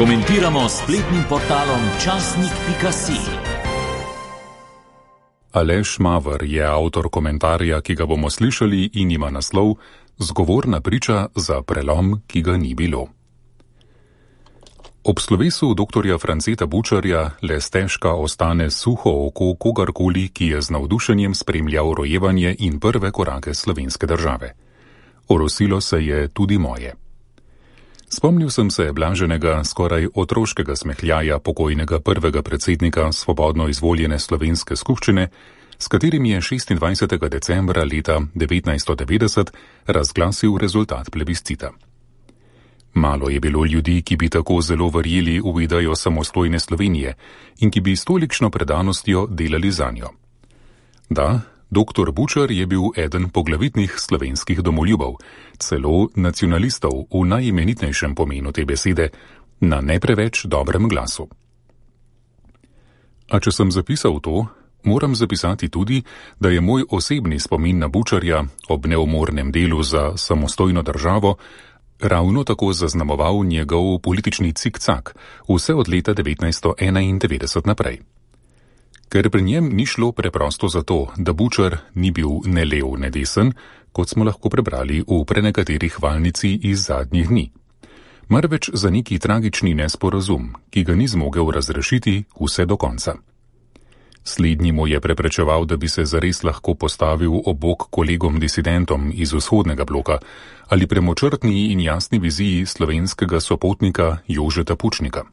Komentiramo s spletnim portalom časnik.si. Aleš Maver je avtor komentarja, ki ga bomo slišali in ima naslov Zgovorna priča za prelom, ki ga ni bilo. Ob slovesu doktorja Franceta Bučarja le stežka ostane suho oko kogarkoli, ki je z navdušenjem spremljal rojevanje in prve korake slovenske države. Orosilo se je tudi moje. Spomnil sem se blaženega, skoraj otroškega smehljaja pokojnega prvega predsednika svobodno izvoljene slovenske skupščine, s katerim je 26. decembra leta 1990 razglasil rezultat plebiscita. Malo je bilo ljudi, ki bi tako zelo verjeli v idejo samostojne Slovenije in ki bi s tolikšno predanostjo delali zanjo. Da, doktor Bučar je bil eden poglavitnih slovenskih domoljubov, celo nacionalistov v najimenitnejšem pomenu te besede, na ne preveč dobrem glasu. A če sem zapisal to, moram zapisati tudi, da je moj osebni spomin na Bučarja ob neumornem delu za samostojno državo ravno tako zaznamoval njegov politični cikcak vse od leta 1991 naprej. Ker pri njem ni šlo preprosto zato, da Bučar ni bil ne lev, ne desen, kot smo lahko prebrali v prenekateri hvalnici iz zadnjih dni. Marveč za neki tragični nesporazum, ki ga ni zmogel razrešiti vse do konca. Slednji mu je preprečeval, da bi se zares lahko postavil ob bok kolegom disidentom iz vzhodnega bloka ali premočrtni in jasni viziji slovenskega sopotnika Jožeta Pučnika.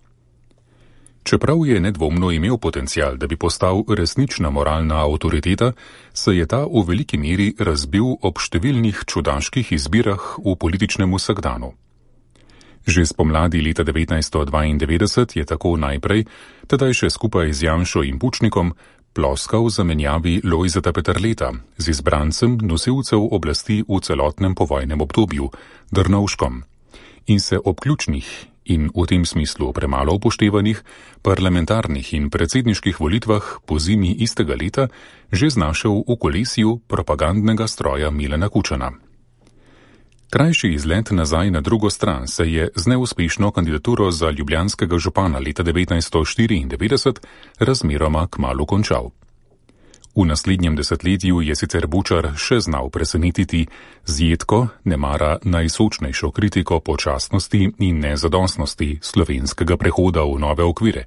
Čeprav je nedvomno imel potencial, da bi postal resnična moralna avtoriteta, se je ta v veliki meri razbil ob številnih čudaških izbirah v političnem vsakdanu. Že spomladi leta 1992 je tako najprej, tedaj še skupaj z Janšo in Pučnikom, ploskal zamenjavi Lojzeta Peterleta z izbrancem nosilcev oblasti v celotnem povojnem obdobju, Drnovškom, in se ob ključnih in v tem smislu premalo upoštevanih parlamentarnih in predsedniških volitvah po zimi istega leta že znašel v kolesju propagandnega stroja Milana Kučana. Krajši izlet nazaj na drugo stran se je z neuspešno kandidaturo za ljubljanskega župana leta 1994 razmeroma kmalu končal. V naslednjem desetletju je sicer Bučar še znal presenetiti z jedko, nemara najsočnejšo kritiko počasnosti in nezadostnosti slovenskega prehoda v nove okvire,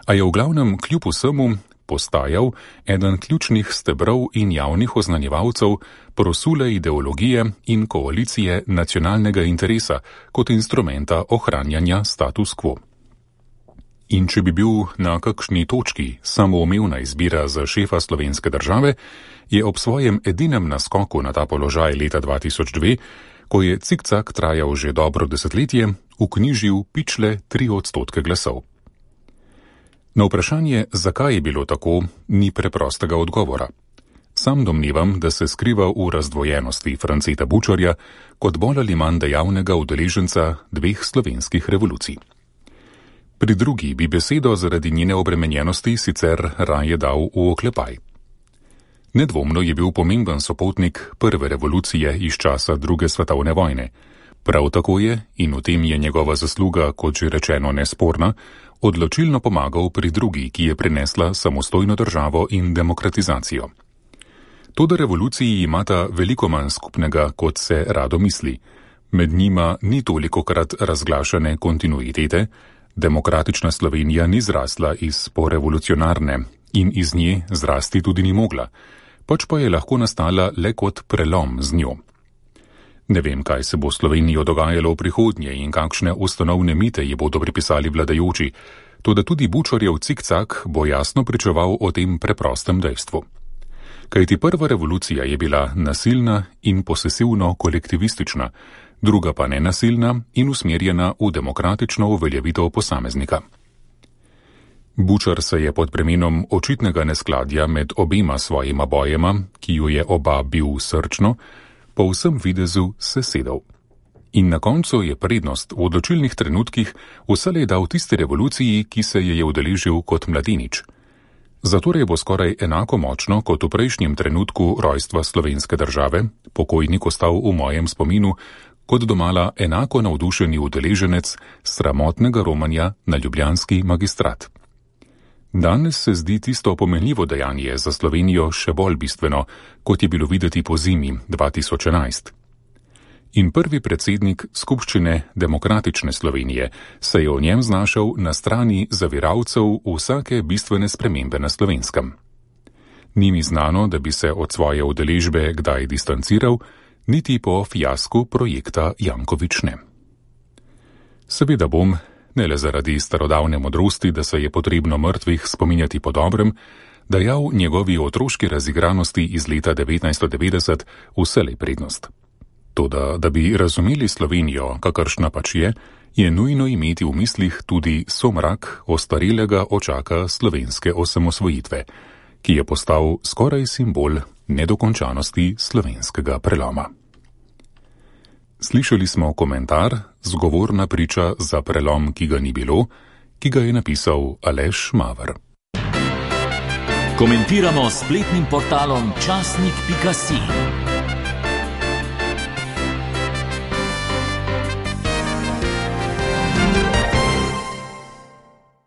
a je v glavnem kljub vsemu postajal eden ključnih stebrov in javnih oznanjevalcev prosule ideologije in koalicije nacionalnega interesa kot instrumenta ohranjanja status quo. In če bi bil na kakšni točki samoumevna izbira za šefa slovenske države, je ob svojem edinem naskoku na ta položaj leta 2002, ko je cikcak trajal že dobro desetletje, vknjižil pičle 3% glasov. Na vprašanje, zakaj je bilo tako, ni preprostega odgovora. Sam domnevam, da se skriva v razdvojenosti Franceta Bučarja kot bolj ali manj dejavnega udeleženca dveh slovenskih revolucij. Pri drugi bi besedo zaradi njene obremenjenosti sicer raje dal v oklepaj. Nedvomno je bil pomemben sopotnik prve revolucije iz časa druge svetovne vojne. Prav tako je, in v tem je njegova zasluga, kot že rečeno, nesporna, odločilno pomagal pri drugi, ki je prinesla samostojno državo in demokratizacijo. Toda revoluciji imata veliko manj skupnega, kot se rado misli. Med njima ni tolikokrat razglašane kontinuitete, demokratična Slovenija ni zrasla iz porevolucionarne in iz nje zrasti tudi ni mogla, pač pa je lahko nastala le kot prelom z njo. Ne vem, kaj se bo Slovenijo dogajalo v prihodnje in kakšne ustanovne mite ji bodo pripisali vladajoči, toda tudi Bučarjev cikcak bo jasno pričeval o tem preprostem dejstvu. Kajti prva revolucija je bila nasilna in posesivno kolektivistična, druga pa nenasilna in usmerjena v demokratično uveljavitev posameznika. Bučar se je pod premenom očitnega neskladja med obema svojima bojema, ki ju je oba bil srčno, po vsem videzu sesedel. In na koncu je prednost v odločilnih trenutkih vselej dal tisti revoluciji, ki se je udeležil kot mladenič. Zatorej bo skoraj enako močno kot v prejšnjem trenutku rojstva slovenske države, pokojnik ostal v mojem spominu, kot domala enako navdušeni udeleženec sramotnega romanja na ljubljanski magistrat. Danes se zdi tisto pomenljivo dejanje za Slovenijo še bolj bistveno, kot je bilo videti po zimi 2011. In prvi predsednik Skupščine Demokratične Slovenije se je o njem znašel na strani zaviralcev vsake bistvene spremembe na Slovenskem. Ni mi znano, da bi se od svoje udeležbe kdaj distanciral, niti po fiasku projekta Janković ne. Seveda bom, ne le zaradi starodavne modrosti, da se je potrebno mrtvih spominjati po dobrem, dajal njegovi otroški razigranosti iz leta 1990 vselej prednost. Toda, da bi razumeli Slovenijo, kakršna pač je nujno imeti v mislih tudi somrak ostarelega očaka slovenske osamosvojitve, ki je postal skoraj simbol nedokončanosti slovenskega preloma. Slišali smo komentar, zgovorna priča za prelom, ki ga ni bilo, ki ga je napisal Aleš Maver. Komentiramo s spletnim portalom časnik.si.